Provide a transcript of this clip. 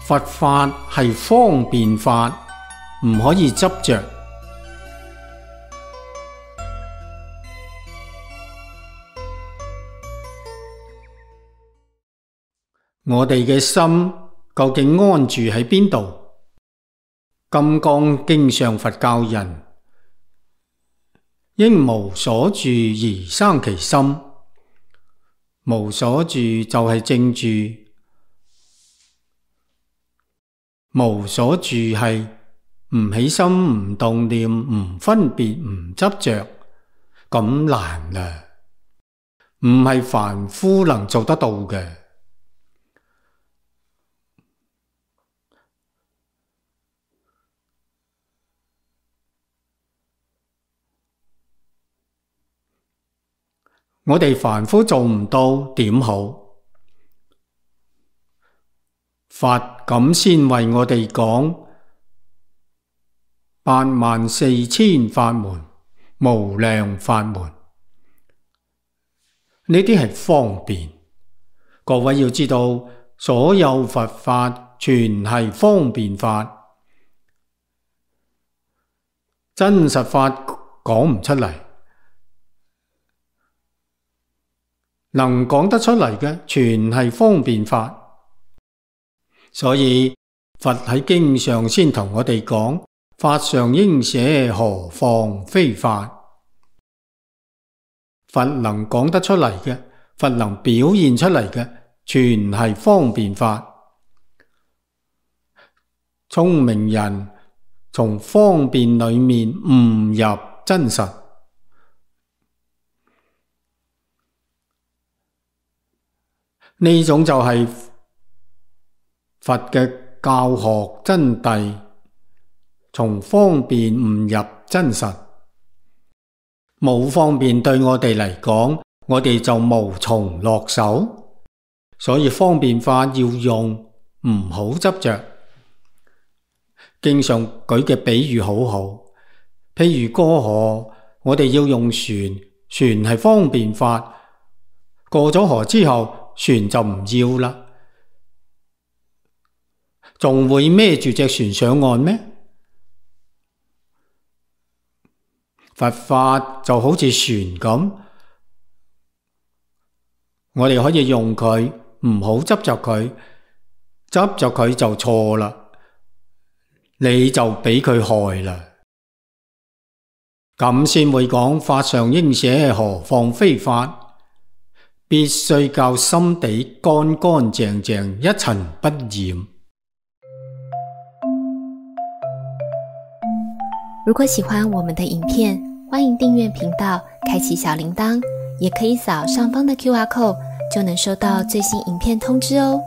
佛法係方便法，唔可以執着。我哋嘅心究竟安住喺邊度？金剛經上佛教人應無所住而生其心，無所住就係正住，無所住係唔起心、唔動念、唔分別、唔執着，咁難啊，唔係凡夫能做得到嘅。我哋凡夫做唔到點好？佛咁先為我哋講84000法門，無量法門，呢啲係方便。各位要知道，所有佛法全係方便法，真實法講唔出嚟。能講得出嚟嘅，全係方便法。所以佛喺經上先同我哋講，法上應捨，何況非法。佛能講得出嚟嘅，佛能表現出嚟嘅，全係方便法。聰明人從方便裏面悟入真實。呢種就係佛嘅教學真諦，從方便悟入真實。冇方便對我哋嚟講，我哋就無從落手。所以方便法要用，唔好執着。經上舉嘅比喻好好，譬如過河，我哋要用船，船係方便法。過咗河之後，船就唔要啦，仲會孭住隻船上岸咩？佛法就好似船咁，我哋可以用佢，唔好執着佢，執着佢就錯啦，你就俾佢害啦。咁先會講法上應捨，何況非法。必須教心地乾乾淨淨，一塵不染。如果喜歡我們的影片，歡迎訂閱頻道，開啟小鈴鐺，也可以掃上方的QR code，就能收到最新影片通知哦。